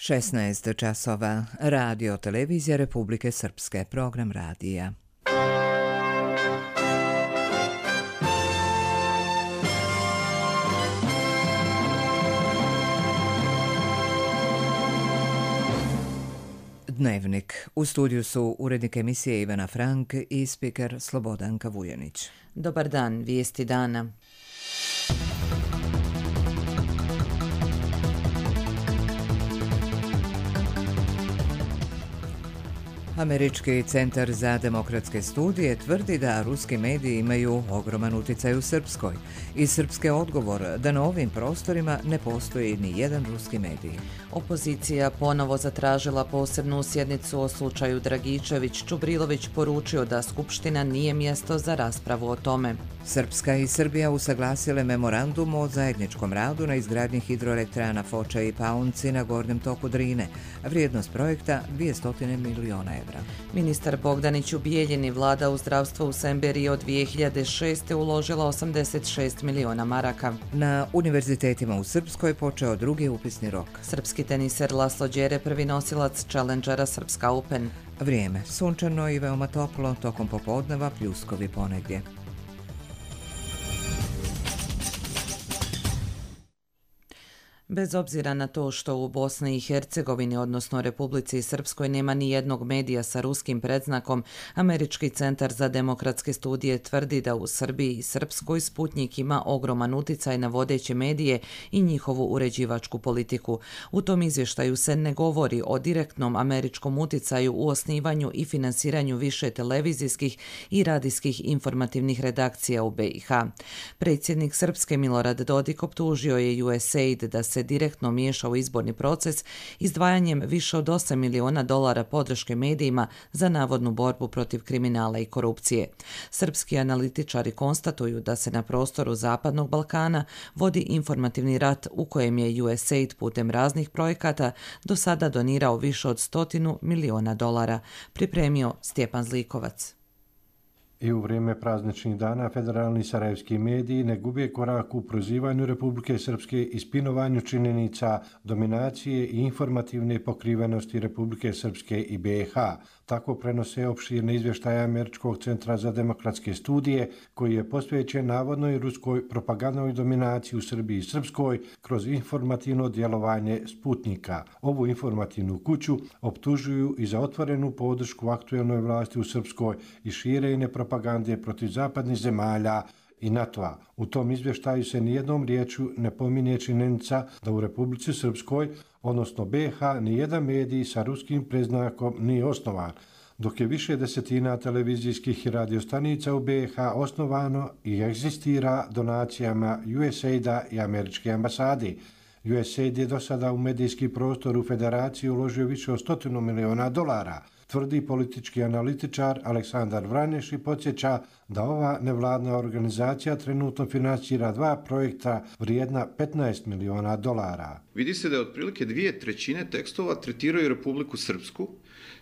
16 časova. Radio televizija Republike Srpske. Program radija. Dnevnik. U studiju su urednik emisije Ivana Frank i spiker Slobodanka Vujanić. Dobar dan, vijesti dana. Američki centar za demokratske studije tvrdi da ruski mediji imaju ogroman utjecaj u Srpskoj i srpske odgovor da na ovim prostorima ne postoji ni jedan ruski medij. Opozicija ponovo zatražila posebnu sjednicu o slučaju Dragičević. Čubrilović poručio da Skupština nije mjesto za raspravu o tome. Srpska i Srbija usaglasile memorandum o zajedničkom radu na izgradnji hidroelektrana Foča i Paunci na gornjem toku Drine. Vrijednost projekta 200 miliona evra. Ministar Bogdanić u Bijeljini, vlada u zdravstvo u Semberiji od 2006. uložila 86 miliona maraka. Na univerzitetima u Srpskoj počeo drugi upisni rok. Srpski teniser Laslo Đere prvi nosilac Challengera Srpska Open. Vrijeme sunčano i veoma toplo, tokom popodneva pljuskovi ponegdje. Bez obzira na to što u Bosni i Hercegovini, odnosno Republici Srpskoj, nema ni jednog medija sa ruskim predznakom, Američki centar za demokratske studije tvrdi da u Srbiji i Srpskoj Sputnjik ima ogroman utjecaj na vodeće medije i njihovu uređivačku politiku. U tom izvještaju se ne govori o direktnom američkom utjecaju u osnivanju i finansiranju više televizijskih i radijskih informativnih redakcija u BiH. Predsjednik Srpske Milorad Dodik optužio je USAID da se direktno miješa u izborni proces izdvajanjem više od $8 miliona podrške medijima za navodnu borbu protiv kriminala i korupcije. Srpski analitičari konstatuju da se na prostoru Zapadnog Balkana vodi informativni rat u kojem je USAID putem raznih projekata do sada donirao više od $100 miliona. Pripremio Stjepan Zlikovac. I u vrijeme prazničnih dana federalni sarajevski mediji ne gube korak u prozivanju Republike Srpske i spinovanju činjenica dominacije i informativne pokrivenosti Republike Srpske i BiH. Tako prenose opširne izvještaje Američkog centra za demokratske studije, koji je posvećen navodnoj ruskoj propagandnoj dominaciji u Srbiji i Srpskoj kroz informativno djelovanje Sputnika. Ovu informativnu kuću optužuju i za otvorenu podršku aktuelnoj vlasti u Srpskoj i širenje propagande protiv zapadnih zemalja i NATO-a. U tom izvještaju se nijednom riječju ne pominje činjenica da u Republici Srpskoj, odnosno BiH, nijedan medij sa ruskim predznakom nije osnovan, dok je više desetina televizijskih i radiostanica u BiH osnovano i egzistira donacijama USAID-a i američke ambasade. USAID je do sada u medijski prostor u federaciji uložio više od $100 miliona, tvrdi politički analitičar Aleksandar Vranješ i podsjeća da ova nevladna organizacija trenutno finansira 2 projekta vrijedna $15 miliona. Vidi se da je otprilike 2/3 tekstova tretiraju Republiku Srpsku,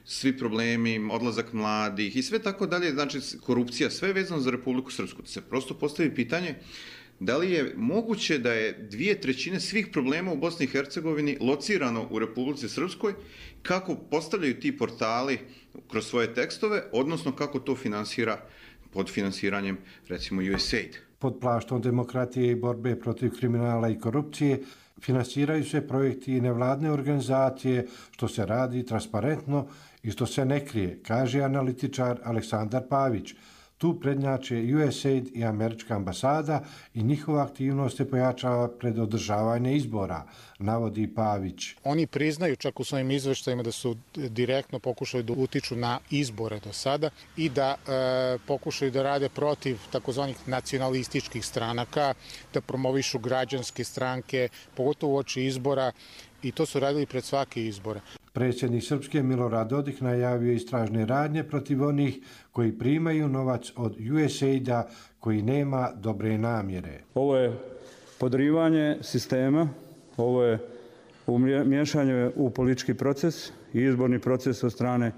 svi problemi, odlazak mladih i sve tako dalje, znači korupcija, sve vezano za Republiku Srpsku. Da se prosto postavi pitanje da li je moguće da je 2/3 svih problema u Bosni i Hercegovini locirano u Republici Srpskoj, kako postavljaju ti portali kroz svoje tekstove, odnosno kako to finansira pod finansiranjem, recimo, USAID. Pod plaštom demokratije i borbe protiv kriminala i korupcije finansiraju se projekti i nevladne organizacije, što se radi transparentno i što se ne krije, kaže analitičar Aleksandar Pavić. Tu prednjače USAID i američka ambasada i njihova aktivnost se pojačava pred održavanje izbora, navodi Pavić. Oni priznaju čak u svojim izveštajima da su direktno pokušali da utiču na izbore do sada i da pokušaju da rade protiv takozvanih nacionalističkih stranaka, da promovišu građanske stranke, pogotovo uoči izbora, i to su radili pred svake izbore. Predsjednik Srpske Milorad Dodik najavio istražne radnje protiv onih koji primaju novac od USAID-a koji nema dobre namjere. Ovo je podrivanje sistema, ovo je miješanje u politički proces i izborni proces od strane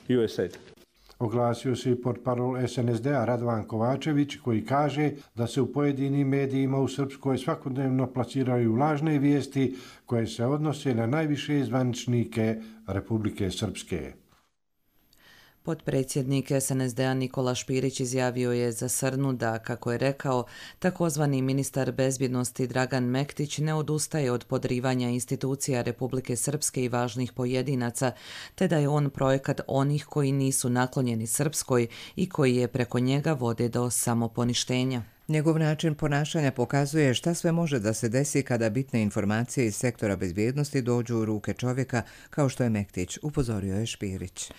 USAID-a. Oglasio se i portparol SNSD-a Radovan Kovačević koji kaže da se u pojedinim medijima u Srpskoj svakodnevno plasiraju lažne vijesti koje se odnose na najviše zvaničnike Republike Srpske. Potpredsjednik SNSD-a Nikola Špirić izjavio je za Srnu da, kako je rekao, takozvani ministar bezbjednosti Dragan Mektić ne odustaje od podrivanja institucija Republike Srpske i važnih pojedinaca, te da je on projekat onih koji nisu naklonjeni Srpskoj i koji je preko njega vode do samoponištenja. Njegov način ponašanja pokazuje šta sve može da se desi kada bitne informacije iz sektora bezbjednosti dođu u ruke čovjeka kao što je Mektić, upozorio je Špirić.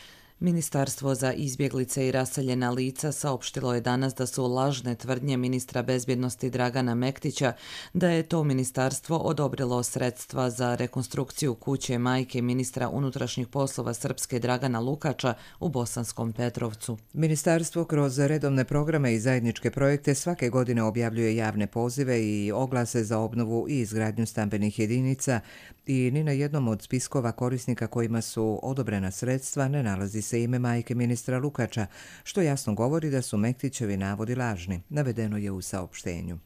Ministarstvo za izbjeglice i raseljena lica saopštilo je danas da su lažne tvrdnje ministra bezbjednosti Dragana Mektića da je to ministarstvo odobrilo sredstva za rekonstrukciju kuće majke ministra unutrašnjih poslova Srpske Dragana Lukača u Bosanskom Petrovcu. Ministarstvo kroz redovne programe i zajedničke projekte svake godine objavljuje javne pozive i oglase za obnovu i izgradnju stambenih jedinica i ni na jednom od spiskova korisnika kojima su odobrena sredstva ne nalazi se ime majke ministra Lukača, što jasno govori da su Mektićevi navodi lažni, navedeno je u saopštenju.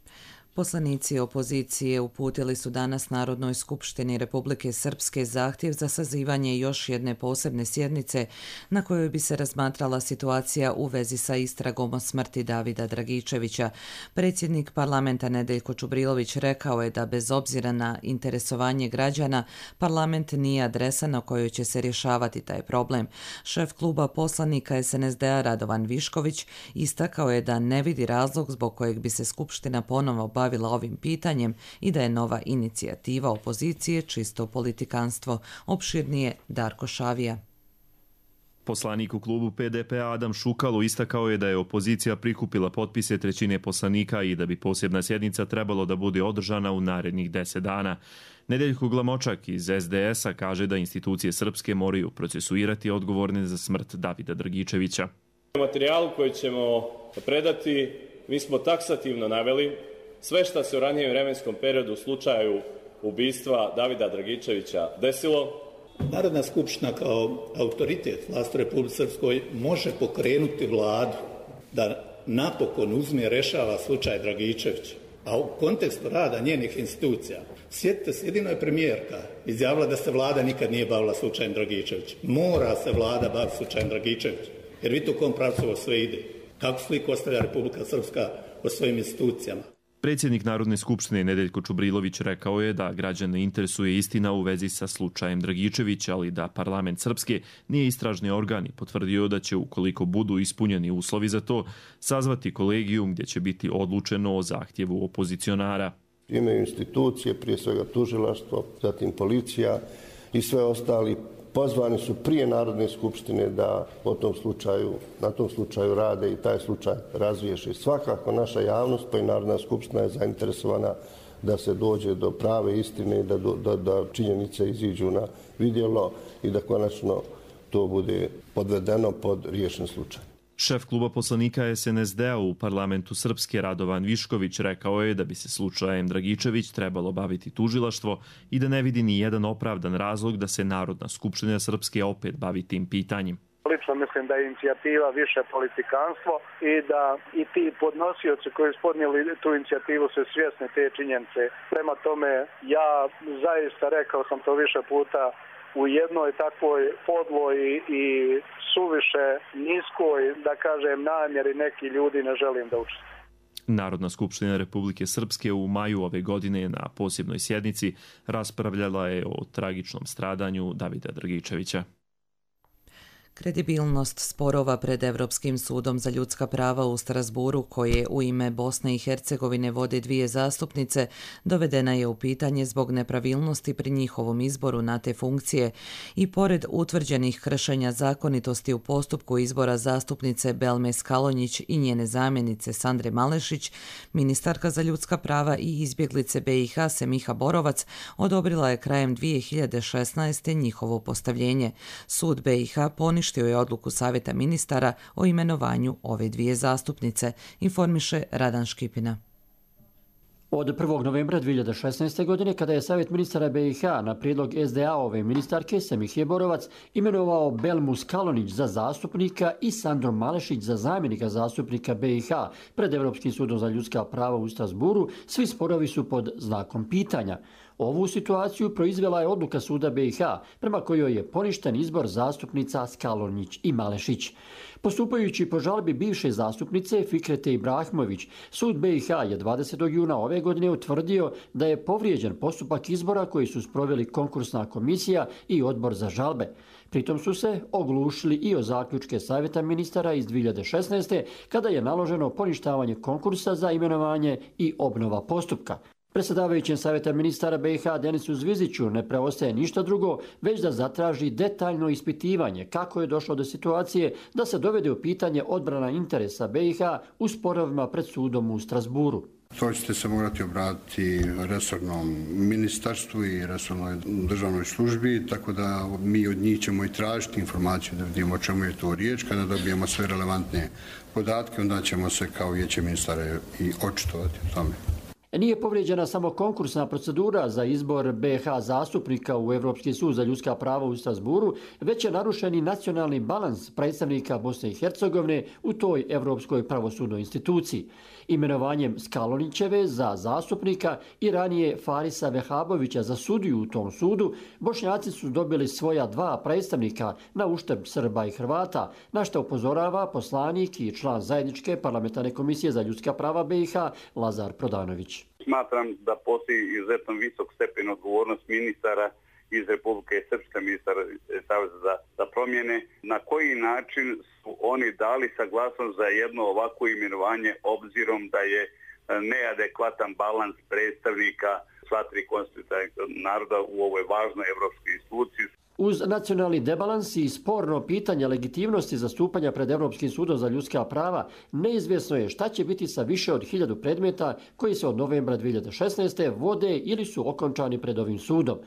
Poslanici opozicije uputili su danas Narodnoj skupštini Republike Srpske zahtjev za sazivanje još jedne posebne sjednice na kojoj bi se razmatrala situacija u vezi sa istragom o smrti Davida Dragičevića. Predsjednik parlamenta Nedeljko Čubrilović rekao je da bez obzira na interesovanje građana, parlament nije adresa na kojoj će se rješavati taj problem. Šef kluba poslanika SNSD-a Radovan Višković istakao je da ne vidi razlog zbog kojeg bi se Skupština ponovo bavila ovim pitanjem i da je nova inicijativa opozicije čisto politikanstvo. Opširnije Darko Šavija. Poslanik u klubu PDP-a Adam Šukalo istakao je da je opozicija prikupila potpise trećine poslanika i da bi posebna sjednica trebalo da bude održana u narednih 10 dana. Nedeljko Glamočak iz SDS-a kaže da institucije srpske moraju procesuirati odgovorne za smrt Davida Dragičevića. U materijalu koji ćemo predati mi smo taksativno naveli sve što se u ranijem vremenskom periodu u slučaju ubistva Davida Dragičevića desilo. Narodna skupština kao autoritet vlasti u Republici Srpskoj može pokrenuti vladu da napokon uzme i rešava slučaj Dragičevića. A u kontekstu rada njenih institucija, sjetite se, jedino je premijerka izjavila da se vlada nikad nije bavila slučajem Dragičevića. Mora se vlada baviti slučajem Dragičevića, jer vidite u kom pravcu ovo sve ide. Kako sliku ostavlja Republika Srpska o svojim institucijama. Predsjednik Narodne skupštine Nedeljko Čubrilović rekao je da građane interesuje istina u vezi sa slučajem Dragičevića, ali da parlament Srpske nije istražni organ i potvrdio da će, ukoliko budu ispunjeni uslovi za to, sazvati kolegijum gdje će biti odlučeno o zahtjevu opozicionara. Imaju institucije, prije svega tužilaštvo, zatim policija i sve ostali. Pozvani su prije Narodne skupštine da na tom slučaju rade i taj slučaj razriješi. Svakako naša javnost pa i Narodna skupština je zainteresovana da se dođe do prave istine i da činjenice iziđu na vidjelo i da konačno to bude podvedeno pod riješen slučaj. Šef kluba poslanika SNSD-a u parlamentu Srpske Radovan Višković rekao je da bi se slučajem Dragičević trebalo baviti tužilaštvo i da ne vidi ni jedan opravdan razlog da se Narodna skupština Srpske opet bavi tim pitanjem. Lično mislim da je inicijativa više politikanstvo i da i ti podnosioci koji su podnijeli tu inicijativu su svjesni te činjenice. Prema tome, ja zaista rekao sam to više puta, u jednoj takvoj podloj i suviše niskoj, da kažem, namjeri neki ljudi ne želim da učestvuju. Narodna skupština Republike Srpske u maju ove godine na posebnoj sjednici raspravljala je o tragičnom stradanju Davida Dragičevića. Kredibilnost sporova pred Evropskim sudom za ljudska prava u Strasburu, koje u ime Bosne i Hercegovine vode 2 zastupnice, dovedena je u pitanje zbog nepravilnosti pri njihovom izboru na te funkcije i pored utvrđenih kršenja zakonitosti u postupku izbora zastupnice Belme Skalonjić i njene zamjenice Sandre Malešić, ministarka za ljudska prava i izbjeglice BiH Semiha Borovac odobrila je krajem 2016. njihovo postavljenje. Sud BiH poništio je odluku Savjeta ministara o imenovanju ove 2 zastupnice, informiše Radan Škipina. Od 1. novembra 2016. godine, kada je Savjet ministara BiH na prijedlog SDA-ove ministarke Semihije Borovac imenovao Belmus Kalonić za zastupnika i Sandro Malešić za zamjenika zastupnika BiH pred Europskim sudom za ljudska prava u Strasburu, svi sporovi su pod znakom pitanja. Ovu situaciju proizvela je odluka suda BiH, prema kojoj je poništen izbor zastupnica Skalonić i Malešić. Postupajući po žalbi bivše zastupnice Fikrete Ibrahimović, sud BiH je 20. juna ove godine utvrdio da je povrijeđen postupak izbora koji su sproveli konkursna komisija i odbor za žalbe. Pritom su se oglušili i o zaključke Savjeta ministara iz 2016. kada je naloženo poništavanje konkursa za imenovanje i obnova postupka. Predsjedavajućem Savjeta ministara BiH Denisu Zviziću ne preostaje ništa drugo, već da zatraži detaljno ispitivanje kako je došlo do situacije da se dovede u pitanje odbrana interesa BiH u sporovima pred sudom u Strasburu. To ćete se morati obratiti resornom ministarstvu i resornoj državnoj službi, tako da mi od njih ćemo i tražiti informaciju da vidimo o čemu je to riječ. Kada dobijemo sve relevantne podatke, onda ćemo se kao vijeće ministara i očitovati o tome. Nije povrijeđena samo konkursna procedura za izbor BiH zastupnika u Europski sud za ljudska prava u Strasburu, već je narušen i nacionalni balans predstavnika Bosne i Hercegovine u toj Europskoj pravosudnoj instituciji. Imenovanjem Skalonićeve za zastupnika i ranije Farisa Vehabovića za sudiju u tom sudu, Bošnjaci su dobili svoja dva predstavnika na uštrb Srba i Hrvata, na što upozorava poslanik i član zajedničke parlamentarne komisije za ljudska prava BiH Lazar Prodanović. Smatram da postoji izuzetno visok stepen odgovornost ministara iz Republike Srpske, ministara Saveza za promjene. Na koji način su oni dali saglasnost za jedno ovako imenovanje obzirom da je neadekvatan balans predstavnika sva tri konstitutivna naroda u ovoj važnoj evropskoj instituciji? Uz nacionalni debalans i sporno pitanje legitimnosti zastupanja pred Europskim sudom za ljudska prava, neizvjesno je šta će biti sa više od 1000 predmeta koji se od novembra 2016. vode ili su okončani pred ovim sudom.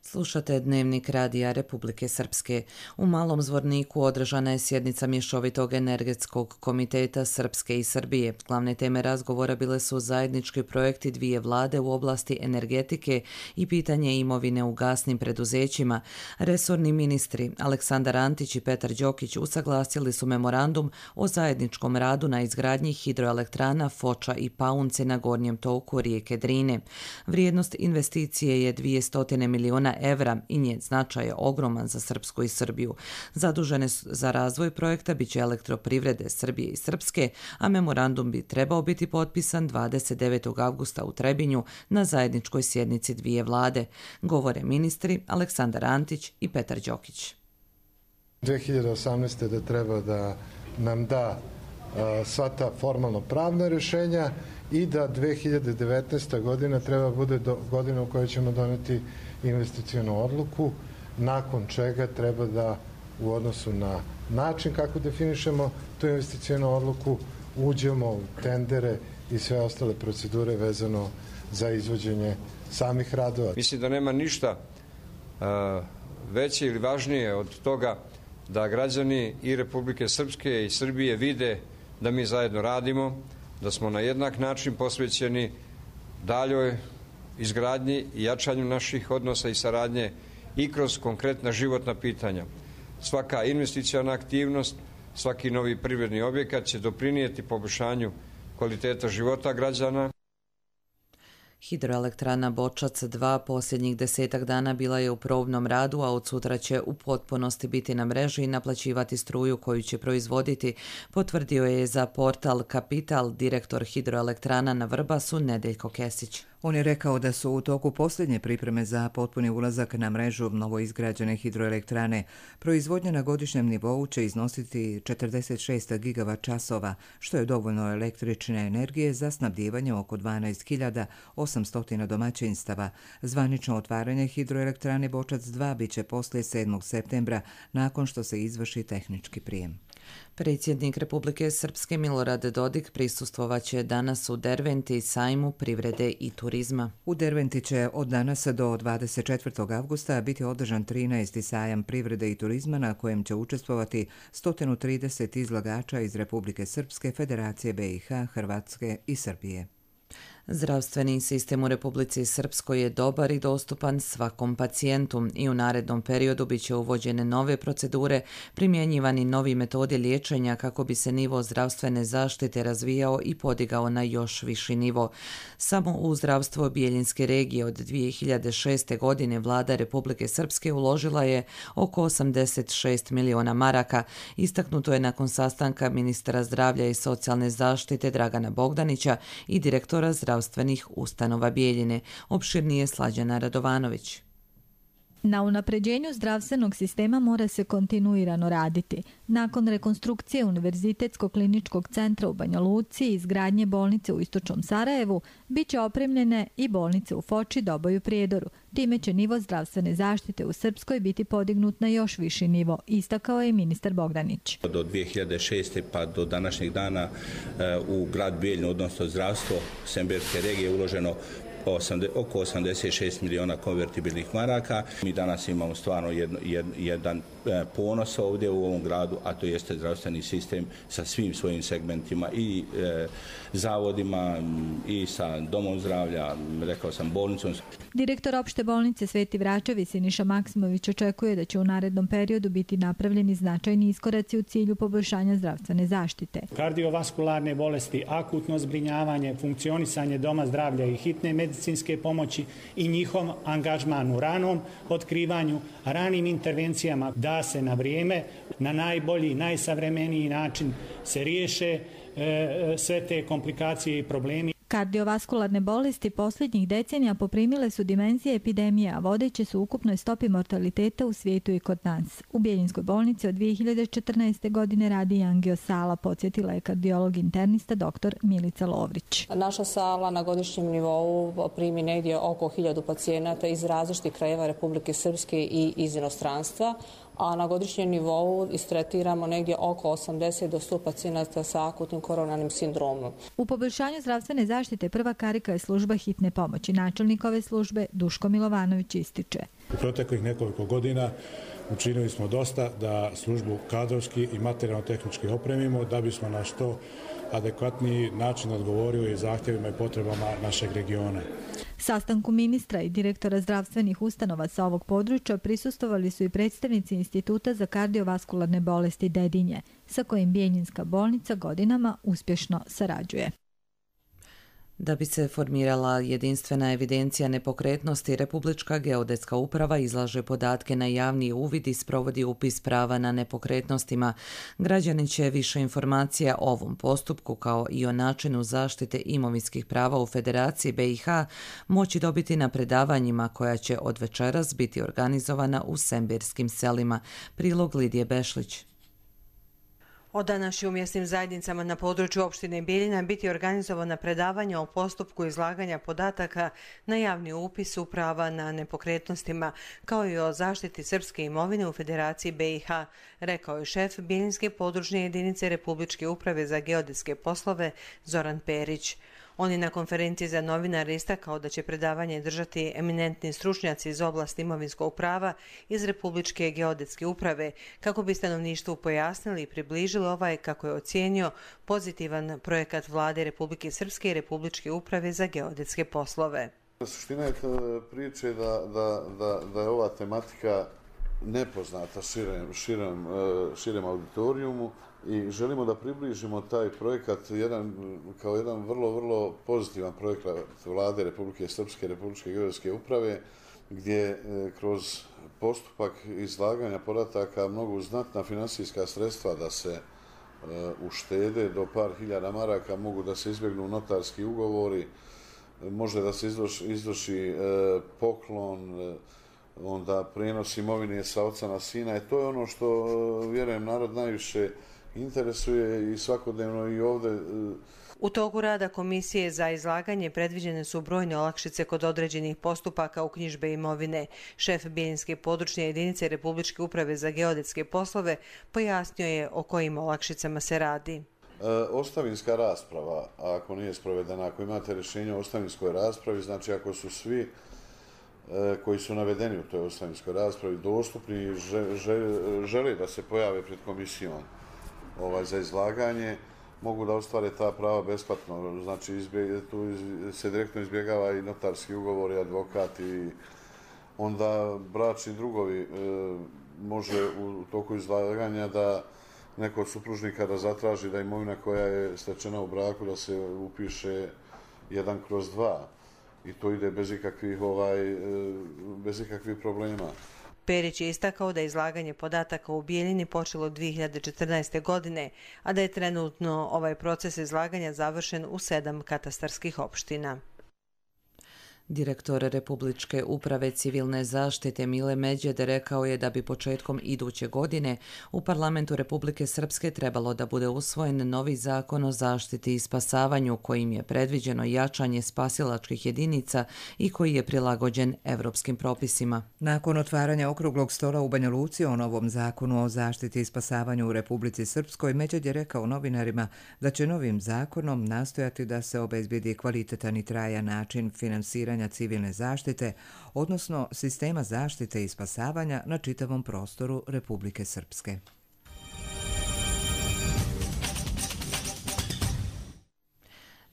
Slušate Dnevnik Radija Republike Srpske. U Malom Zvorniku održana je sjednica Mješovitog energetskog komiteta Srpske i Srbije. Glavne teme razgovora bile su zajednički projekti dvije vlade u oblasti energetike i pitanje imovine u gasnim preduzećima. Resorni ministri Aleksandar Antić i Petar Đokić usaglasili su memorandum o zajedničkom radu na izgradnji hidroelektrana Foča i Paunce na gornjem toku rijeke Drine. Vrijednost investicije je 200 miliona evra i njen značaj je ogroman za Srpsku i Srbiju. Zadužene za razvoj projekta biće elektroprivrede Srbije i Srpske, a memorandum bi trebao biti potpisan 29. avgusta u Trebinju na zajedničkoj sjednici dvije vlade, govore ministri Aleksandar Antić i Petar Đokić. 2018. da treba da nam da sva ta formalno pravna rješenja i da 2019. godina treba bude godina u kojoj ćemo doneti investicijonu odluku, nakon čega treba da u odnosu na način kako definišemo tu investicijonu odluku uđemo u tendere i sve ostale procedure vezano za izvođenje samih radova. Mislim da nema ništa veće ili važnije od toga da građani i Republike Srpske i Srbije vide da mi zajedno radimo, da smo na jednak način posvećeni daljoj izgradnji i jačanju naših odnosa i saradnje i kroz konkretna životna pitanja. Svaka investicijona aktivnost, svaki novi privredni objekat će doprinijeti poboljšanju kvaliteta života građana. Hidroelektrana Bočac 2 posljednjih 10 dana bila je u probnom radu, a od sutra će u potpunosti biti na mreži i naplaćivati struju koju će proizvoditi, potvrdio je za portal Kapital direktor hidroelektrana na Vrbasu Nedeljko Kesić. On je rekao da su u toku posljednje pripreme za potpuni ulazak na mrežu novoizgrađene hidroelektrane. Proizvodnja na godišnjem nivou će iznositi 46 gigavat-časova, što je dovoljno električne energije za snabdijevanje oko 12.800 domaćinstava. Zvanično otvaranje hidroelektrane Bočac 2 biće poslije 7. septembra, nakon što se izvrši tehnički prijem. Predsjednik Republike Srpske Milorad Dodik prisustvovaće danas u Derventi sajmu privrede i turizma. U Derventi će od danas do 24. avgusta biti održan 13. sajam privrede i turizma na kojem će učestvovati 130 izlagača iz Republike Srpske, Federacije BiH, Hrvatske i Srbije. Zdravstveni sistem u Republici Srpskoj je dobar i dostupan svakom pacijentu i u narednom periodu bit će uvođene nove procedure, primjenjivani novi metodi liječenja kako bi se nivo zdravstvene zaštite razvijao i podigao na još viši nivo. Samo u zdravstvo Bijeljinske regije od 2006. godine vlada Republike Srpske uložila je oko 86 miliona maraka. Istaknuto je nakon sastanka ministra zdravlja i socijalne zaštite Dragana Bogdanića i direktora zdravstvenih ustanova Bijeljine. Opširnije Slađana Radovanović. Na unapređenju zdravstvenog sistema mora se kontinuirano raditi. Nakon rekonstrukcije Univerzitetskog kliničkog centra u Banja Luci i izgradnje bolnice u Istočnom Sarajevu, bit će opremljene i bolnice u Foči, Doboju, Prijedoru. Time će nivo zdravstvene zaštite u Srpskoj biti podignut na još viši nivo, istakao je ministar Bogdanić. Do 2006. pa do današnjeg dana u grad Bijeljinu, odnosno zdravstvo Semberske regije, uloženo oko 86 miliona konvertibilnih maraka. Mi danas imamo stvarno jedan ponos ovdje u ovom gradu, a to jeste zdravstveni sistem sa svim svojim segmentima i zavodima i sa domom zdravlja, rekao sam bolnicom. Direktor opšte bolnice Sveti Vračevi Siniša Maksimović očekuje da će u narednom periodu biti napravljeni značajni iskoraci u cilju poboljšanja zdravstvene zaštite. Kardiovaskularne bolesti, akutno zbrinjavanje, funkcionisanje doma zdravlja i hitne medicinske pomoći i njihov angažman u ranom otkrivanju, ranim intervencijama da se na vrijeme, na najbolji, najsavremeniji način se riješe sve te komplikacije i problemi. Kardiovaskularne bolesti posljednjih decenija poprimile su dimenzije epidemije, a vodeće su ukupnoj stopi mortaliteta u svijetu i kod nas. U Bijeljinskoj bolnici od 2014. godine radi angio sala, podsjetila je kardiolog internista dr. Milica Lovrić. Naša sala na godišnjem nivou primi negdje oko 1000 pacijenata iz različitih krajeva Republike Srpske i iz inostranstva, a na godišnjem nivou istretiramo negdje oko 80 do 100 pacijenata sa akutnim koronarnim sindromom. U poboljšanju zdravstvene zaštite prva karika je služba hitne pomoći. Načelnik ove službe Duško Milovanović ističe. U proteklih nekoliko godina učinili smo dosta da službu kadrovski i materijalno-tehnički opremimo da bismo na što adekvatniji način odgovorili zahtjevima i potrebama našeg regiona. Sastanku ministra i direktora zdravstvenih ustanova sa ovog područja prisustvovali su i predstavnici Instituta za kardiovaskularne bolesti Dedinje, sa kojim Bijeljinska bolnica godinama uspješno sarađuje. Da bi se formirala jedinstvena evidencija nepokretnosti, Republička geodetska uprava izlaže podatke na javni uvid i sprovodi upis prava na nepokretnostima. Građani će više informacija o ovom postupku kao i o načinu zaštite imovinskih prava u Federaciji BiH moći dobiti na predavanjima koja će od večeras biti organizovana u sembirskim selima. Prilog Lidije Bešlić. Od danas će u mjesnim zajednicama na području opštine Bijeljina biti organizovana predavanja o postupku izlaganja podataka na javni upis prava na nepokretnostima, kao i o zaštiti srpske imovine u Federaciji BiH, rekao je šef Bijeljinske područne jedinice Republičke uprave za geodetske poslove Zoran Perić. On je na konferenciji za novinare istakao da će predavanje držati eminentni stručnjaci iz oblasti imovinskog prava iz Republičke geodetske uprave, kako bi stanovništvu pojasnili i približili ovaj, kako je ocijenio, pozitivan projekat vlade Republike Srpske i Republičke uprave za geodetske poslove. Suština je priče da je ova tematika nepoznata širem auditorijumu i želimo da približimo taj projekat kao jedan vrlo pozitivan projekat vlade Republike Srpske i Republičke geodetske uprave, gdje kroz postupak izlaganja podataka mogu znatna finansijska sredstva da se uštede, do par hiljada maraka mogu da se izbjegnu notarski ugovori, može da se izvrši poklon, onda prijenos imovine sa oca na sina. To je ono što, vjerujem, narod najviše interesuje i svakodnevno i ovdje. U toku rada Komisije za izlaganje predviđene su brojne olakšice kod određenih postupaka uknjižbe imovine. Šef Bijeljinske područne jedinice Republičke uprave za geodetske poslove pojasnio je o kojim olakšicama se radi. Ostavinska rasprava, ako nije sprovedena, ako imate rješenje o ostavinskoj raspravi, znači ako su svi koji su navedeni u toj ostavinskoj raspravi dostupni i žele da se pojave pred komisijom za izlaganje, mogu da ostvare ta prava besplatno. Znači, tu se direktno izbjegava i notarski ugovor i advokat i onda bračni drugovi može u toku izlaganja da neko od supružnika da zatraži da imovina koja je stečena u braku da se upiše 1/2 i to ide bez ikakvih problema. Perić je istakao da je izlaganje podataka u Bijeljini počelo 2014. godine, a da je trenutno ovaj proces izlaganja završen u 7 katastarskih opština. Direktor Republičke uprave civilne zaštite Mile Međede rekao je da bi početkom iduće godine u Parlamentu Republike Srpske trebalo da bude usvojen novi zakon o zaštiti i spasavanju kojim je predviđeno jačanje spasilačkih jedinica i koji je prilagođen evropskim propisima. Nakon otvaranja okruglog stola u Banja Luci o novom zakonu o zaštiti i spasavanju u Republici Srpskoj, Međed je rekao novinarima da će novim zakonom nastojati da se obezbedi kvalitetan i trajan način finansiranja civilne zaštite, odnosno sistema zaštite i spasavanja na čitavom prostoru Republike Srpske.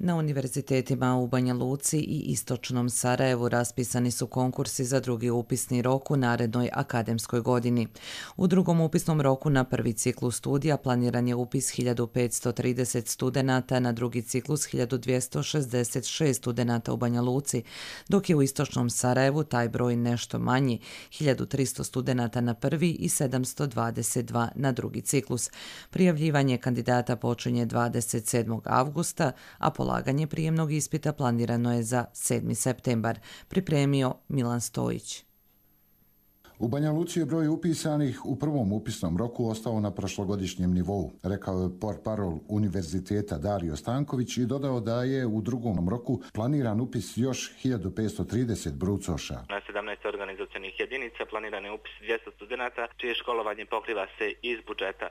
Na univerzitetima u Banja Luci i istočnom Sarajevu raspisani su konkursi za drugi upisni rok u narednoj akademskoj godini. U drugom upisnom roku na prvi ciklus studija planiran je upis 1530 studenata, na drugi ciklus 1266 studenata u Banja Luci, dok je u istočnom Sarajevu taj broj nešto manji, 1300 studenata na prvi i 722 na drugi ciklus. Prijavljivanje kandidata počinje 27. avgusta, a polaganje prijemnog ispita planirano je za 7. septembar, pripremio Milan Stojić. U Banja Luci je broj upisanih u prvom upisnom roku ostao na prošlogodišnjem nivou, rekao je portparol Univerziteta Dario Stanković i dodao da je u drugom roku planiran upis još 1530 brucoša. Na 17 organizacionih jedinica planiran je upis 200 studenata, čije školovanje pokriva se iz budžeta.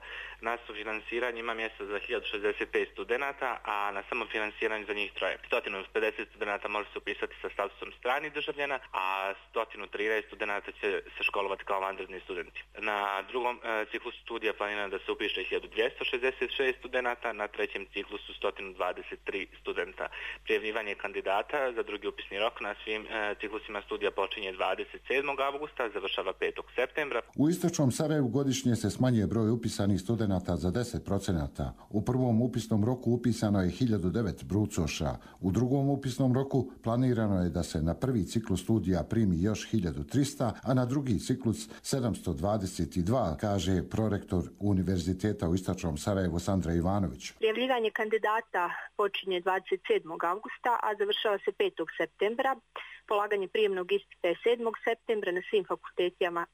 Na sufinansiranje ima mjesta za 1065 studenata, a na samofinansiranje za njih 3. 150 studenata može se upisati sa statusom stranih državljana, a 113 studenata će se školovati kao vanredni studenti. Na drugom ciklusu studija planirano da se upiše 1266 studenata, na trećem ciklusu 123 studenta. Prijavljivanje kandidata za drugi upisni rok na svim ciklusima studija počinje 27. avgusta, završava 5. septembra. U istočnom Sarajevu godišnje se smanjuje broj upisanih studenata za 10%. U prvom upisnom roku upisano je 1009 brucoša. U drugom upisnom roku planirano je da se na prvi ciklus studija primi još 1300, a na drugi ciklus 722, kaže prorektor Univerziteta u istočnom Sarajevu Sandra Ivanović. Prijavljivanje kandidata počinje 27. avgusta, a završava se 5. septembra. Polaganje prijemnog ispita je 7. septembra na svim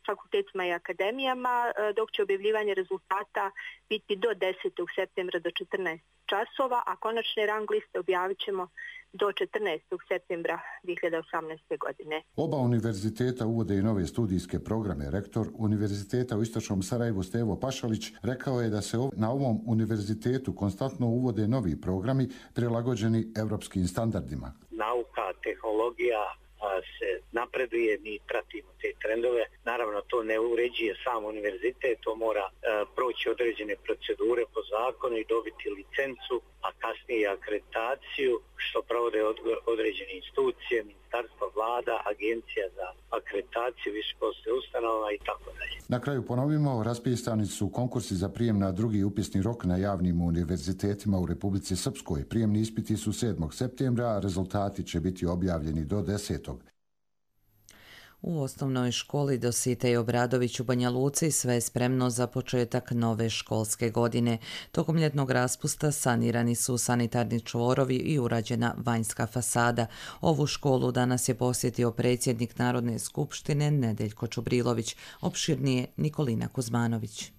fakultetima i akademijama, dok će objavljivanje rezultata biti do 10. septembra do 14 časova, a konačne rang liste objavit ćemo do 14. septembra 2018. godine. Oba univerziteta uvode i nove studijske programe. Rektor Univerziteta u istočnom Sarajevu Stevo Pašalić rekao je da se na ovom univerzitetu konstantno uvode novi programi prilagođeni evropskim standardima. Nauka, tehnologija se napreduje, mi pratimo te trendove. Naravno, to ne uređuje sam univerzitet, to mora proći određene procedure po zakonu i dobiti licencu, a kasnije i akreditaciju, što provode određene institucije, ministarstva, vlada, agencija za akreditaciju, visokoškolskih ustanova i tako dalje. Na kraju ponovimo, raspisani su konkursi za prijem na drugi upisni rok na javnim univerzitetima u Republici Srpskoj. Prijemni ispiti su 7. septembra, a rezultati će biti objavljeni do 10. U osnovnoj školi Dositej Obradović u Banja Luci sve je spremno za početak nove školske godine. Tokom ljetnog raspusta sanirani su sanitarni čvorovi i urađena vanjska fasada. Ovu školu danas je posjetio predsjednik Narodne skupštine Nedeljko Čubrilović, opširnije Nikolina Kuzmanović.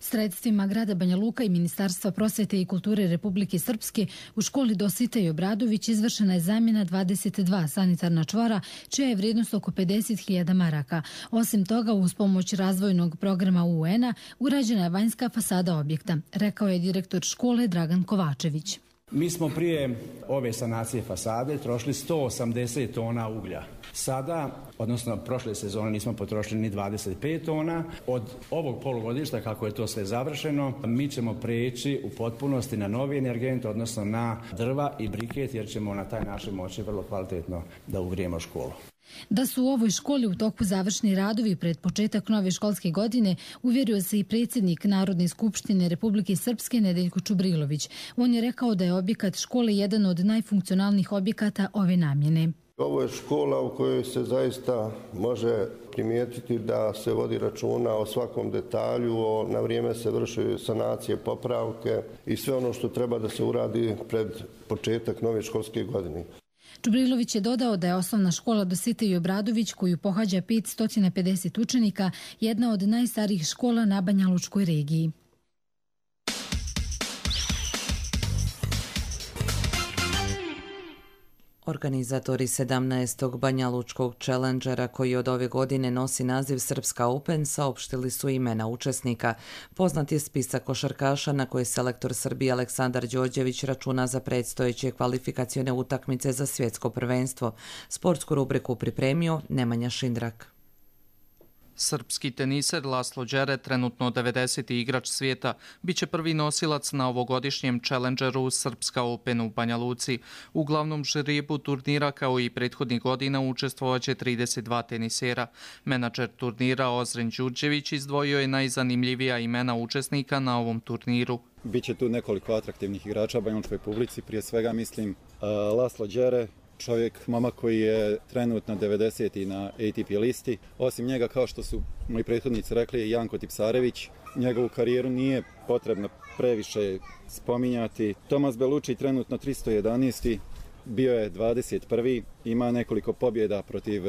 Sredstvima grada Banja Luka i Ministarstva prosvete i kulture Republike Srpske u školi Dositej Obradović izvršena je zamjena 22 sanitarna čvora, čija je vrijednost oko 50.000 maraka. Osim toga, uz pomoć razvojnog programa UN-a urađena je vanjska fasada objekta, rekao je direktor škole Dragan Kovačević. Mi smo prije ove sanacije fasade trošili 180 tona uglja. Sada, odnosno prošle sezone nismo potrošili ni 25 tona. Od ovog polugodišta, kako je to sve završeno, mi ćemo preći u potpunosti na novi energent, odnosno na drva i briket, jer ćemo na taj način moći vrlo kvalitetno da ugrijemo školu. Da su u ovoj školi u toku završni radovi pred početak nove školske godine, uvjerio se i predsjednik Narodne skupštine Republike Srpske Nedeljko Čubrilović. On je rekao da je objekat škole jedan od najfunkcionalnijih objekata ove namjene. Ovo je škola u kojoj se zaista može primijetiti da se vodi računa o svakom detalju, na vrijeme se vrše sanacije, popravke i sve ono što treba da se uradi pred početak nove školske godine. Čubrilović je dodao da je osnovna škola Dositej Obradović, koju pohađa 550 učenika, jedna od najstarijih škola na Banjalučkoj regiji. Organizatori 17. Banjalučkog Challengera, koji od ove godine nosi naziv Srpska Open, saopštili su imena učesnika. Poznat je spisak košarkaša na koje selektor Srbije Aleksandar Đorđević računa za predstojeće kvalifikacione utakmice za svjetsko prvenstvo. Sportsku rubriku pripremio Nemanja Šindrak. Srpski teniser Laslo Đere, trenutno 90. igrač svijeta, bit će prvi nosilac na ovogodišnjem Challengeru Srpska Open u Banja Luci. U glavnom žrebu turnira, kao i prethodnih godina, učestvovaće 32 tenisera. Menadžer turnira Ozren Đurđević izdvojio je najzanimljivija imena učesnika na ovom turniru. Biće tu nekoliko atraktivnih igrača banjalučkoj publici, prije svega mislim Laslo Đere, čovjek, momak koji je trenutno 90. na ATP listi. Osim njega, kao što su moji prethodnici rekli, Janko Tipsarević. Njegovu karijeru nije potrebno previše spominjati. Tomas Belucci, trenutno 311. bio je 21. Ima nekoliko pobjeda protiv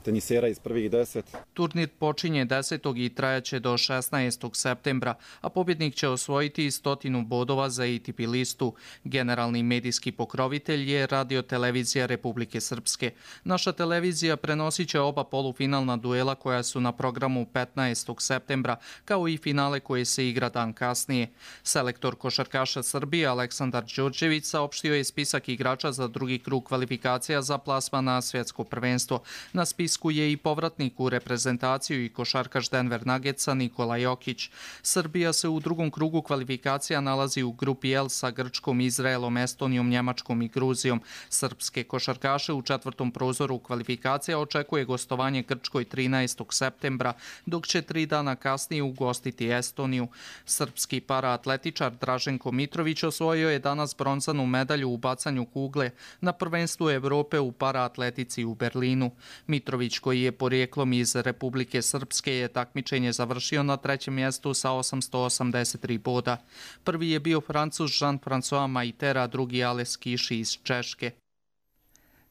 tenisera iz prvih 10. Turnir počinje 10. i trajaće do 16. septembra, a pobjednik će osvojiti 100 bodova za ATP listu. Generalni medijski pokrovitelj je Radio-televizija Republike Srpske. Naša televizija prenosit će oba polufinalna duela koja su na programu 15. septembra, kao i finale koje se igra dan kasnije. Selektor košarkaša Srbije Aleksandar Đorđević saopštio je spisak igrača za drugi krug kvalifikacija za plasman na svjetsko prvenstvo. Na spisku je i povratnik u reprezentaciju i košarkaš Denver Nuggetsa Nikola Jokić. Srbija se u drugom krugu kvalifikacija nalazi u grupi L sa Grčkom, Izraelom, Estonijom, Njemačkom i Gruzijom. Srpske košarkaše u četvrtom prozoru kvalifikacija očekuje gostovanje Grčkoj 13. septembra, dok će 3 dana kasnije ugostiti Estoniju. Srpski paraatletičar Draženko Mitrović osvojio je danas bronzanu medalju u bacanju kugle na prvenstvu Evrope u paraatletici u Berlinu. Mitrović, koji je porijeklom iz Republike Srpske, je takmičenje završio na 3. mjestu sa 883 boda. Prvi je bio Francuz Jean-François Maitera, drugi Ales Kiši iz Češke.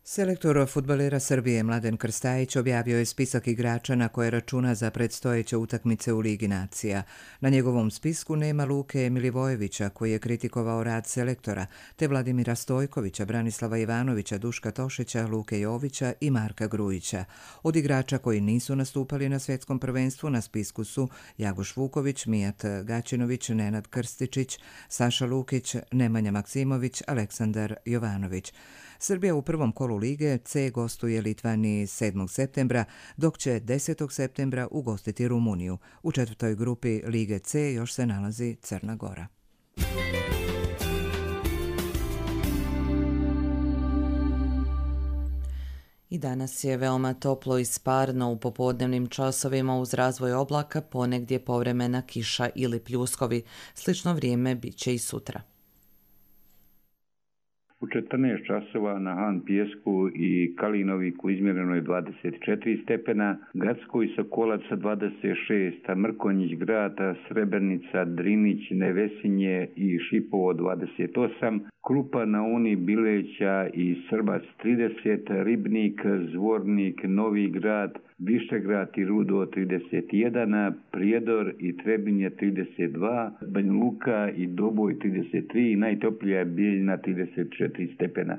Selektor fudbalera Srbije Mladen Krstajić objavio je spisak igrača na koje računa za predstojeće utakmice u Ligi nacija. Na njegovom spisku nema Luke Milivojevića, koji je kritikovao rad selektora, te Vladimira Stojkovića, Branislava Ivanovića, Duška Tošića, Luke Jovića i Marka Grujića. Od igrača koji nisu nastupali na svjetskom prvenstvu na spisku su Jagoš Vuković, Mijat Gaćinović, Nenad Krstičić, Saša Lukić, Nemanja Maksimović, Aleksandar Jovanović. Srbija u prvom kolu Lige C gostuje Litvaniji 7. septembra, dok će 10. septembra ugostiti Rumuniju. U četvrtoj grupi Lige C još se nalazi Crna Gora. I danas je veoma toplo i sparno. U popodnevnim časovima uz razvoj oblaka ponegdje povremena kiša ili pljuskovi. Slično vrijeme bit će i sutra. U 14 časova na Han Pijesku i Kalinoviku izmjereno je 24 stepena, Gradsko i Sokolaca 26, Mrkonjić Grad, Srebrnica, Drinić, Nevesinje i Šipovo 28, Krupa, Nauni, Bileća i Srbac 30, Ribnik, Zvornik, Novi Grad, Višegrad i Rudo 31, Prijedor i Trebinje 32, Banja Luka i Doboj 33 i najtoplija je Bijeljina 34 stepena.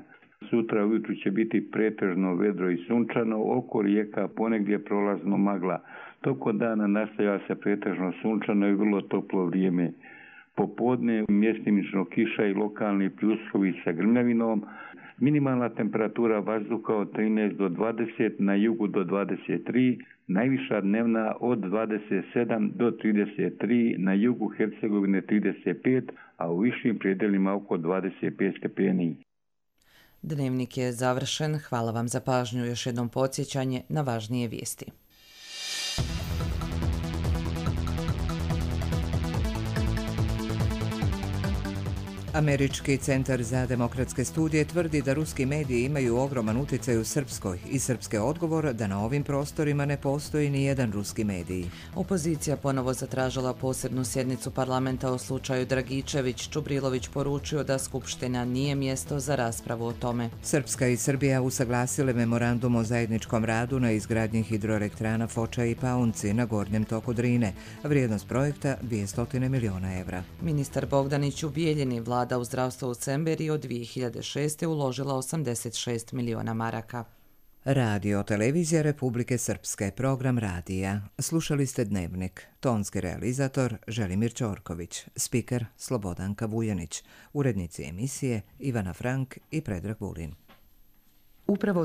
Sutra ujutru će biti pretežno vedro i sunčano, oko rijeka ponegdje prolazno magla. Toko dana nastavlja se pretežno sunčano i vrlo toplo vrijeme. Popodne mjestimično kiša i lokalni pljuskovi sa grmljavinom. Minimalna temperatura vazduha od 13 do 20, na jugu do 23, najviša dnevna od 27 do 33, na jugu Hercegovine 35, a u višim predelima oko 25 stepeni. Dnevnik je završen. Hvala vam za pažnju. Još jednom podsjećanje na važnije vijesti. Američki centar za demokratske studije tvrdi da ruski mediji imaju ogroman utjecaj u Srpskoj i srpske odgovor da na ovim prostorima ne postoji ni jedan ruski medij. Opozicija ponovo zatražila posebnu sjednicu parlamenta o slučaju Dragičević. Čubrilović poručio da Skupština nije mjesto za raspravu o tome. Srpska i Srbija usaglasile memorandum o zajedničkom radu na izgradnji hidroelektrana Foča i Paunci na gornjem toku Drine. Vrijednost projekta 200 miliona evra. Ministar Bogdanić u Bijeljini Vlada u zdravstvo u Cemberi od 2006. uložila 86 miliona maraka. Radio televizija Republike Srpske, program radija. Slušali ste Dnevnik. Tonski realizator Želimir Ćorković, spiker Slobodanka Vujanić, urednici emisije Ivana Frank i Predrag Vulin. Upravo